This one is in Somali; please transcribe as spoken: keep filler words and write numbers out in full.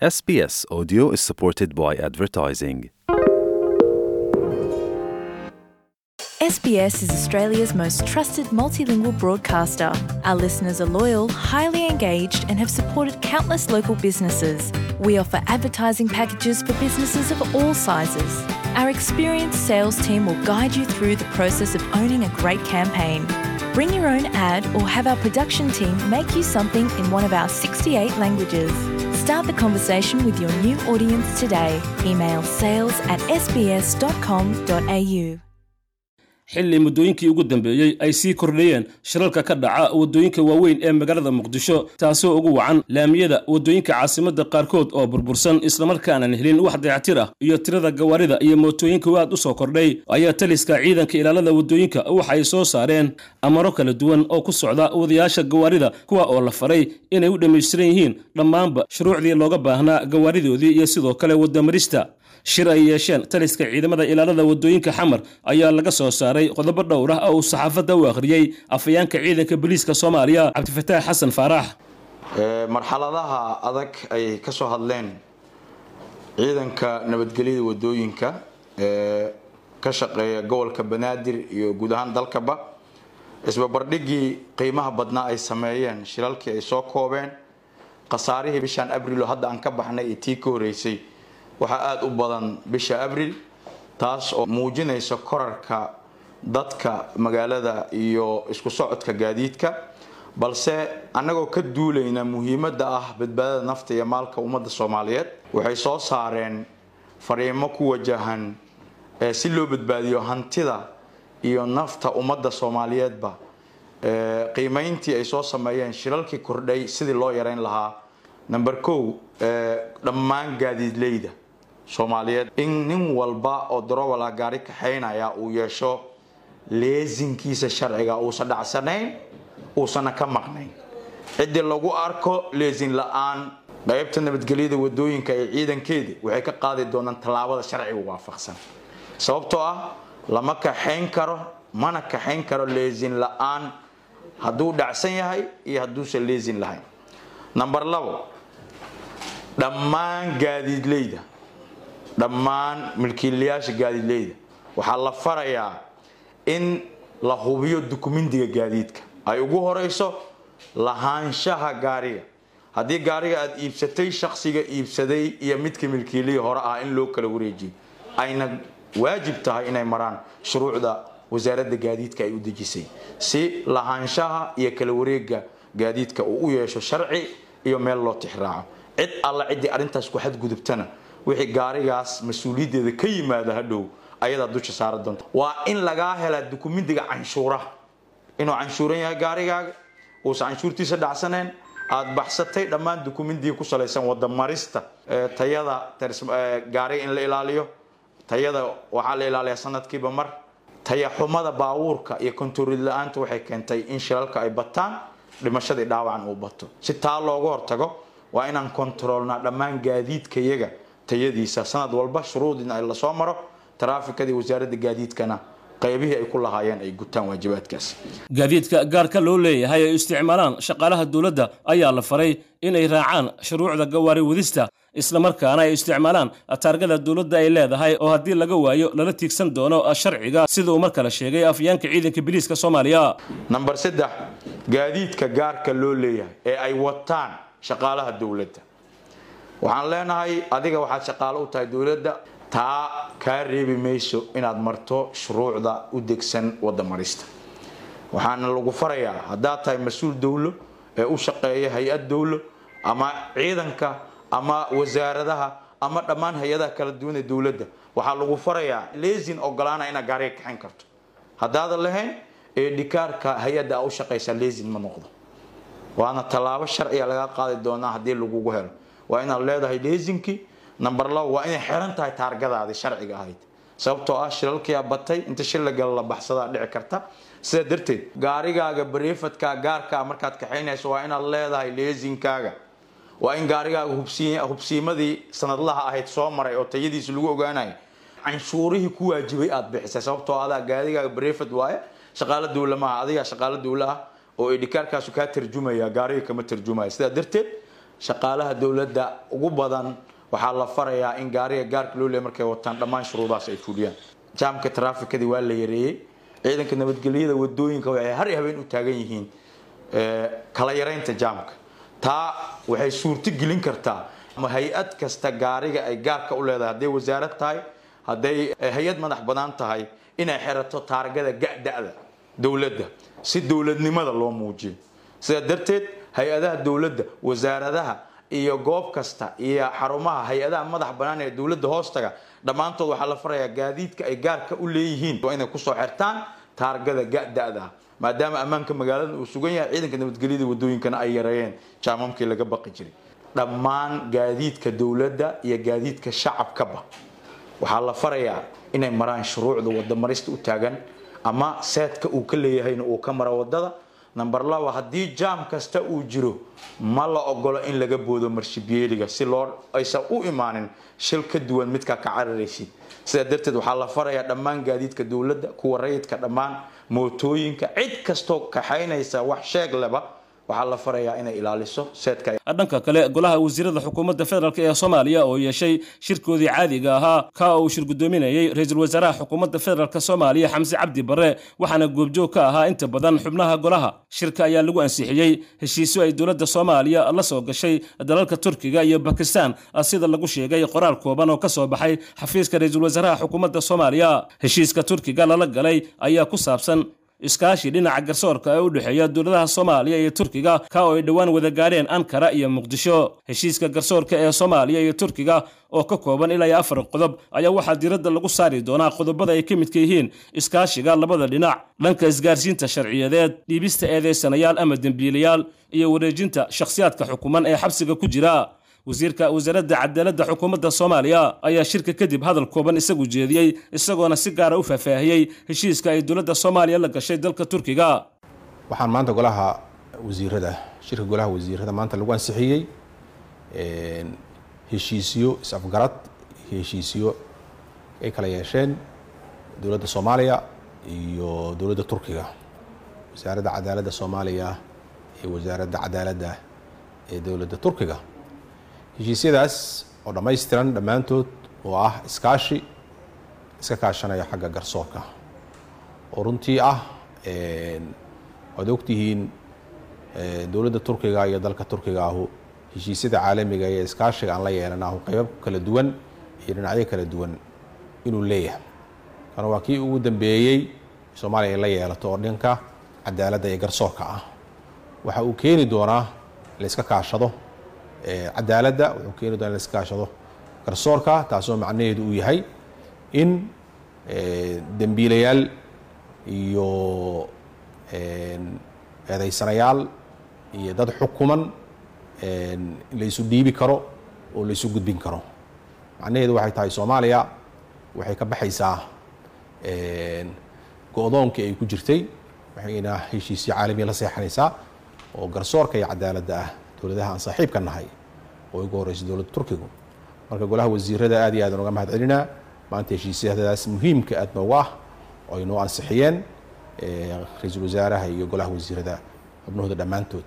S B S Audio is supported by advertising. S B S is Australia's most trusted multilingual broadcaster. Our listeners are loyal, highly engaged, and have supported countless local businesses. We offer advertising packages for businesses of all sizes. Our experienced sales team will guide you through the process of owning a great campaign. Bring your own ad or have our production team make you something in one of our sixty-eight languages. Start the conversation with your new audience today. Email sales at S B S dot com dot A U. Xilli muddooyinkii ugu dambeeyey ay sii kordhayeen shilalka ka dhaca waddooyinka waaweyn ee magaalada Muqdisho, taasoo ugu wacan laamiyada waddooyinka caasimadda qaarkood oo burbursan, islamarkaanan helin wax dayactir ah, iyo tirada gawaarida iyo mootooyinka aad u soo kordhay, ayaa taliska ciidanka ilaalada waddooyinka waxay soo saareen amaro kala duwan oo ku socda wadayaasha gawaarida, kuwa oo la faray inay u dhammaystiran yihiin dhammaanba shuruucdii looga baahnaa gawaaridoodii iyo sidoo kale waddamarista. Shir ay yeesheen taliska ciidamada ilaalada waddooyinka Xamar ayaa laga soo saaray qodobo dhowr ah oo uu saxaafadda u akhriyey afhayaanka ciidanka booliiska Soomaaliya, Cabdifataax Xasan Faarax. Marxaladaha adag ay ka soo hadleen ciidanka nabadgelyada wadooyinka ee ka shaqeeya gobolka Banaadir iyo guud ahaan dalkaba, isbabardhigii qiimaha badnaa ay sameeyeen, shilalkii ay soo koobeen, khasaarihii bishaan Abril oo hadda aan ka baxnay iyo tii ka horeysay, waxaa aada u badan bisha Abril, taas oo muujinaysa korarka dadka magaalada iyo isku socodka gaadiidka. Balse annagoo ka duulayna muhiimadda ah badbaadada nafta iyo maalka ummadda Soomaaliyeed, waxay soo saareen fariimo ku wajahan si loo badbaadiyo hantida iyo nafta ummadda Soomaaliyeedba. Qiimeyntii ay soo sameeyeen shilalkii kordhay sidii loo yareyn lahaa: number kow, dhammaan gaadiidleyda Soomaaliyeed in nin walba oo darowala gaari kaxaynaya uu yeesho leesinkiisa sharciga, uusan dhacsanayn, uusana ka maqnayn. Ciddii lagu arko leesin la-aan, qaybta nabadgelyada wadooyinka ee ciidankeedi waxay ka qaadi doonaan tallaabada sharciga waafaqsan, sababtoo ah lama kaxayn karo, mana kaxayn karo leesin la-aan, hadduu dhacsan yahay iyo hadduusan leesin lahayn. Number labo, dhammaan gaadiidleyda, dhammaan milkiilayaasha gaadiidleyda waxaa la farayaa in la hubiyo dukumentiga gaadiidka, ay ugu horeyso lahaanshaha gaariga. Haddii gaariga aada iibsatay, shaksiga iibsaday iyo midka milkiilihii hore ah in loo kala wareejiyo, ayna waajib tahay inay maraan shuruucda wasaaradda gaadiidka ay u dejisay, si lahaanshaha iyo kala wareega gaadiidka uu u yeesho sharci iyo meel loo tixraaco. Cid alla ciddii arrintaas ku xadgudubtana, wixii gaarigaas mas-uuliyaddeeda ka yimaada hadhow ayadaa dusha saara doonta. Waa in lagaa helaa dukumentiga canshuuraha, inuu canshuuran yahay gaarigaaga, uusan canshuurtiisa dhacsaneen, aada baxsatay dhammaan dukumentiga ku salaysan wadamarista. Tayada gaariga in la ilaaliyo, tayada waxaa la ilaaliyaa sanadkiiba mar. Taya xumada baabuurka iyo kontarool la-aanta waxay keentay in shilalka ay bataan, dhimashadii dhaawacan uu bato. Si taa looga hortago, waa inaan kontaroolnaa dhammaan gaadiidkayaga tayadiisa sanad walba, shuruudina ay lasoo maro, taraafikadii wasaaradda gaadiidkana qaybihii ay ku lahaayeen ay gutaan waajibaadkaas. Gaadiidka gaarka loo leeyahay ay isticmaalaan shaqaalaha dowladda ayaa la faray inay raacaan shuruucda gawaari wadista, islamarkaana ay isticmaalaan taargada dowladda ay leedahay, oo haddii laga waayo lala tiigsan doono sharciga, sida uu mar kale sheegay afhayaanka ciidanka biliiska Soomaaliya. Number saddex, gaadiidka gaarka loo leeyahay ee ay wataan shaqaalaha dowladda, waxaan leenahay: adiga waxaad shaqaalo u tahay dowladda, taa kaa reebi mayso inaad marto shuruucda u degsan wadda marista. Waxaana lagu farayaa, haddaad tahay mas-uul dowlo ee u shaqeeya hay-ad dowlo ama ciidanka ama wasaaradaha ama dhammaan hay-adaha kala duwan ee dowladda, waxaa lagu farayaa leesin ogolaana inaad gaariga kaxayn karto. Haddaadan lahayn ee dhikaarka hay-adda aa u shaqaysaa, leesin ma noqdo, waana tallaabo sharciga laga qaadi doonaa haddii lagugu helo. Waa inaad leedahay leesinkii. Number labo, waa inay xiran tahay taargadaadii sharciga ahayd, sababtoo ah shilalkiyaa batay, inta shil la gala la baxsadaa dhici karta. Sidaa darteed, gaarigaaga private-ka gaarkaa markaad kaxaynayso, waa inaad leedahay leesinkaaga, waa in gaarigaaga hubsiimadii sanadlaha ahayd soo maray oo tayadiisa lagu ogaanayo, canshuurihii ku waajibay aad bixisay, sababtoo adaa gaarigaaga private waaye, shaqaalo dowla maaha. Adigaa shaqaalo dowla ah oo idhikaarkaasu kaa tarjumaya, gaariga kama tarjumaya. Sidaa darteed Shaqaalaha dowladda ugu badan waxaa la farayaa in gaariga gaarka loo leeyahay markay wataan dhammaan shuruudahaas ay fuliyaan. Jaamka taraafikadii waa la yareeyey. Ciidanka nabadgelyada wadooyinka waxay har iyo habeen u taagan yihiin kala yareynta jaamka. Taa waxay suurto gelin kartaa ama hay-ad kasta gaariga ay gaarka u leedahay, hadday wasaarad tahay, hadday hay-ad madax bannaan tahay, inay xirato taargada ga-da-da dowladda si dowladnimada loo muujiyo. Sidaa darteed hay-adaha dowladda, wasaaradaha iyo goob kasta iyo xarumaha hay-adaha madax bannaan ee dowladda hoostaga dhammaantood waxaa la farayaa gaadiidka ay gaarka u leeyihiin waa inay kusoo xirtaan taargada ga-da-da, maadaama ammaanka magaalada uu sugan yahay, ciidanka nabadgelyada wadooyinkana ay yareeyeen jaamamkii laga baqi jiray. Dhammaan gaadiidka dowladda iyo gaadiidka shacabkaba waxaa la farayaa inay maraan shuruucda wadamarista u taagan ama seedka uu ka leeyahayna uu ka maro wadada. Number laba, haddii jaam kasta uu jiro ma la ogolo in laga boodo marshibiyeeliga si loo aysan u imaanin shil ka duwan midkaa ka cararaysid. Sidaa darteed waxaa la farayaa dhammaan gaadiidka dowladda, kuwa rayidka, dhammaan mootooyinka, cid kastoo kaxaynaysa wax sheeg leba waxaa la farayaa inay ilaaliso seedka. Dhanka kale, golaha wasiirada xukuumadda federaalk ee Soomaaliya oo yeeshay shirkoodii caadiga ahaa ka uu shir guddoominayey ra-iisul wasaaraha xukuumadda federaalk Soomaaliya Xamse Cabdi Barre, waxaana goobjoog ka ahaa inta badan xubnaha golaha. Shirka ayaa lagu ansixiyey heshiisyo ay dowladda Soomaaliya la soo gashay dalalka Turkiga iyo Bakistan, sida lagu sheegay qoraal kooban oo ka soo baxay xafiiska ra-iisul wasaaraha xukuumadda Soomaaliya. Heshiiska Turkiga lala galay ayaa ku saabsan iskaashi dhinaca garsoorka ee u dhexeeya dowladaha Soomaaliya iyo Turkiga, ka oo ay dhowaan wada gaareen Ankara iyo Muqdisho. Heshiiska garsoorka ee Soomaaliya iyo Turkiga oo ka kooban ilaa iyo afar qodob ayaa waxaa diiradda lagu saari doonaa qodobada ay ka midka yihiin iskaashiga labada dhinac dhanka isgaarsiinta sharciyadeed, dhiibista eedeysanayaal ama dembiilayaal, iyo wareejinta shakhsiyaadka xukuman ee xabsiga ku jira. Wasiirka wasaaradda cadaaladda xukuumadda Soomaaliya ayaa shirka kadib hadal kooban isagu jeediyey, isagoona si gaara u faahfaahiyey heshiiska ay dowladda Soomaaliya la gashay dalka Turkiga. Waxaan maanta golaha wasiirada, shirka golaha wasiirada maanta lagu ansixiyey heshiisyo is-afgarad, heshiisyo ay kala yeesheen dowladda Soomaaliya iyo dowladda Turkiga, wasaaradda cadaaladda Soomaaliya iyo wasaaradda cadaaladda ee dowladda Turkiga. Heshiisyadaas oo dhammaystiran dhammaantood oo ah iskaashi iska kaashanaya xagga garsoorka, oo runtii ah waad ogtihiin dowladda Turkiga iyo dalka Turkiga ahu heshiisyada caalamiga iyo iskaashiga aan la yeelanahu qeybo kala duwan iyo dhinacyo kala duwan inuu leeyahay. Kana waa kii ugu dambeeyey Soomaaliya ay la yeelato oo dhanka cadaaladda iyo garsoorka ah. Waxa uu keeni doonaa la iska kaashado cadaaladda, wuxuu keeni doonaa la iska kaashado garsoorka, taasoo macnaheedu uu yahay in dembiilayaal iyo eedeysanayaal iyo dad xukuman la isu dhiibi karo oo la isu gudbin karo. Macnaheedu waxay tahay Soomaaliya waxay ka baxaysaa go-doonkii ay ku jirtay, waxayna heshiisyo caalamiya la seexanaysaa oo garsoorka iyo cadaaladda ah dowladaha aan saaxiibka nahay oo ugu horeysa dowladda Turkigu. Marka golaha wasiirada aad iyo aad uga mahad celinaa maanta heshiisyadaas muhiimka aad noogu ah oo ay noo ansixiyeen ra-iisul wasaaraha iyo golaha wasiirada xubnahooda dhammaantood.